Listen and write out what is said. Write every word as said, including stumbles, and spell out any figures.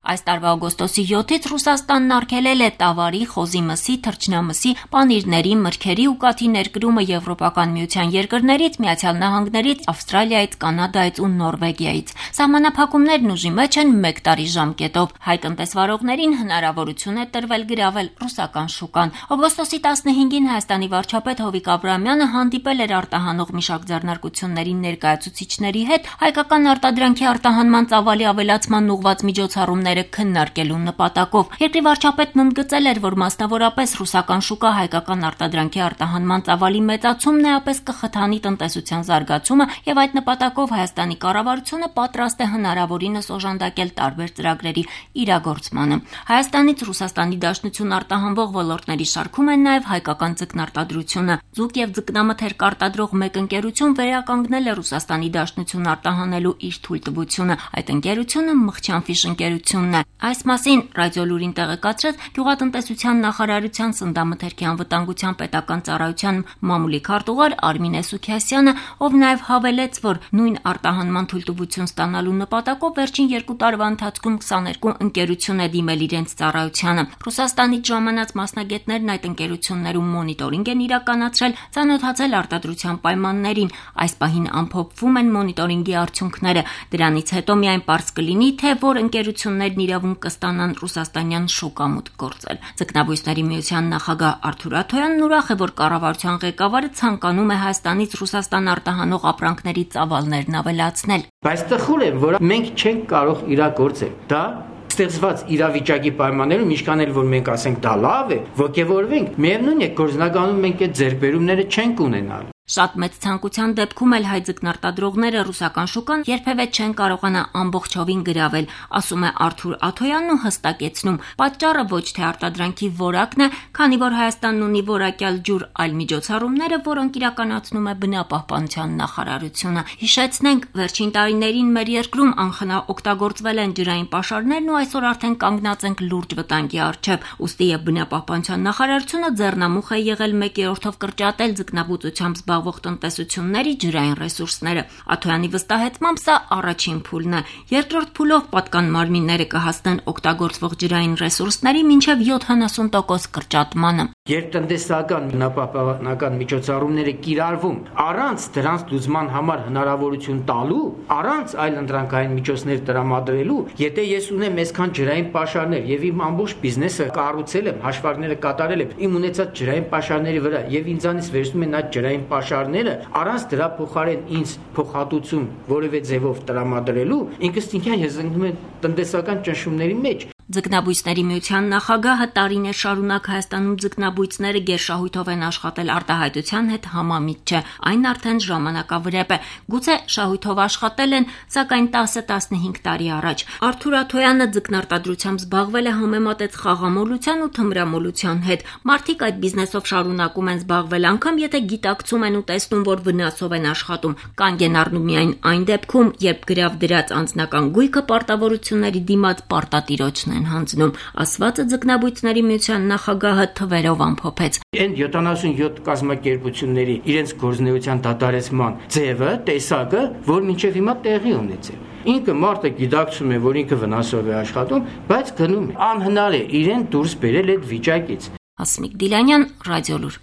Այս տարվա օգոստոսի յոթից Ռուսաստանն արգելել է տավարի, խոզի մսի, թռչնամսի, պանիրների, մրգերի ու կաթի ներկրումը Եվրոպական միության երկրներից, Միացյալ Նահանգներից, Ավստրալիայից, Կանադայից ու Նորվեգիայից։ Սահմանափակումներն ուժի մեջ են մեկ տարի ժամկետով։ Հայ տնտեսվարողներին հնարավորություն է տրվել գրավել ռուսական շուկան։ Օգոստոսի տասնհինգին Հայաստանի վարչապետ Հովիկ Աբրահամյանը հանդիպել էր արտահանող մի շարք ձեռնարկությունների ներկայացուցիչների հետ հայկական արտադրանքի արտահանման ծավալի ավելացման ուղղված միջոցառումները քննարկելու նպատակով։ Երկրի վարչապետն ընդգծել էր, որ մասնավորապես ռուսական շուկա հայկական արտադրանքի արտահանման ծավալի մեծացումն էապես կխթանի տնտեսության զարգացումը եւ այդ նպատակով Հայաստանի կառավարությունը պատրաստ է հնարավորինս օժանդակել տարբեր ծրագրերի իրագործմանը։ Հայաստանից Ռուսաստանի Դաշնություն արտահանվող ոլորտների շարքում են նաեւ հայկական ձկնարտադրությունը։ Ձուկ եւ ձկնամթերք արտադրող մեկ ընկերություն վերականգնել է Ռուսաստանի Դաշնություն արտահանելու իր թույլտվությունը։ Այդ ընկերությունը Մղչյանֆիշ ընկերությունն է։ Այս մասին Ռադիոլուրին տեղեկացրեց Գյուղատնտեսության նախարարության Սննդամթերքի անվտանգության պետական ծառայության մամուլի քարտուղար Արմինե Սուքիասյանը, ով նաեւ հավելեց, որ նույն արտահանման թույլտվություն ստանալու նպատակով վերջին երկու տարվա ընթացքում քսաներկու ընկերություն է դիմել իրենց ծառայությանը։ Ռուսաստանից ժամանած մասնագետներն այդ ընկերություններում մոնիտորինգ են իրականացրել, ծանոթացել արտադրության պայմաններին։ Այս պահին ամփոփվում են մոնիտորինգի արդյունքները։ Դրանից հետո միայն պարզ կլինի, թե որ ընկերություններն իրավունք կստանան ռուսաստանյան շուկամուտք գործել։ Ձկնաբույսների միության նախագահ Արթուր Աթոյանն ուրախ է, որ կառավարության ղեկավարը ցանկանում է Հայաստանից Ռուսաստան արտահանող ապրանքների ծավալներն ավելացնել։ Բայց տխուր է, որ մենք չենք կարող իրագործել։ Դա ստեղծված իրավիճակի պայմաններում, ինչքան էլ որ մենք ասենք դա լավ է, ոգևորվենք, միևնույն է, գործնականում մենք այդ ձեռքբերումները չենք ունենալ։ Շատ մեծ ցանկության դեպքում էլ հայ ձկնարտադրողները ռուսական շուկան երբևէ չեն կարողանա ամբողջովին գրավել, ասում է Արթուր Աթոյանն ու հստակեցնում. պատճառը ոչ թե արտադրանքի որակն է, քանի որ Հայաստանն ունի որակյալ ջուր, այլ միջոցառումները, որոնք իրականացնում է բնապահպանության նախարարությունը։ Հիշեցնենք, վերջին տարիներին մեր երկրում անխնա օգտագործվել են ջրային պաշարներն ու այսօր արդեն կանգնած ենք լուրջ վտանգի առջև։ Ուստի եւ բնապահպանության նախարարությունը ձեռնամուխ է եղել մեկ երրորդով կրճատել ձկնաբուծությամբ զբաղվող տնտեսությունների ջրային ռեսուրսները։ Աթոյանի վստահեցմամբ սա առաջին փուլն է։ Երկրորդ փուլով պատկան մարմինները կհասնեն օգտագործվող ջրային ռեսուրսների մինչև յոթանասուն տոկոս կրճատմանը։ Երբ տնտեսական բնապահպանական միջոցառումները կիրառվում առանց դրանց լուծման համար հնարավորություն տալու, առանց այլ ընտրանքային միջոցներ տրամադրելու, եթե ես ունեմ այսքան ջրային պաշարներ եւ իմ ամբողջ բիզնեսը կառուցել եմ, հաշվարկները կատարել եմ իմ ունեցած ջրային պաշարների վրա եւ ինձանից վերցնում են այդ ջրային պաշարները, առանց դրա փոխարեն ինձ փոխհատուցում որևէ ձևով տրամադրելու, ինքս ինքյան ես ընկնում եմ տնտեսական ճնշումների մեջ։ Ձկնաբույսների միության նախագահը տարիներ շարունակ Հայաստանում ձկնաբույսները գերշահույթով են աշխատել արտահայտության հետ համամիտ չէ, այն արդեն ժամանակավրեպ է։ Գուցե շահույթով աշխատել են, սակայն տասը տասնհինգ տարի առաջ։ Արթուր Աթոյանը ձկնարտադրությամբ զբաղվել է համեմատեց խաղամոլության ու թմրամոլության հետ։ Մարդիկ այդ բիզնեսով շարունակում են զբաղվել, անգամ եթե գիտակցում են ու տեսնում, որ վնասով են աշխատում, կանգ են առնում միայն այն դեպքում, երբ գրավ դրած անձնական գույքը պարտավորությունների դիմաց պարտատիրոջն են հանձնում, ասվածը ձկնաբույսների միության նախագահը թվերով ամփոփեց։ Այն յոթանասունյոթ կազմակերպությունների իրենց գործունեության դադարեցման ձևը, տեսակը, որ մինչև հիմա տեղի ունեցել։ Ինքը մարդը գիտակցում է, որ ինքը վնասով է աշխատում, բայց գնում է։ Անհնար է իրեն դուրս բերել այդ վիճակից։ Հասմիկ Դիլանյան, Ռադիոլուր։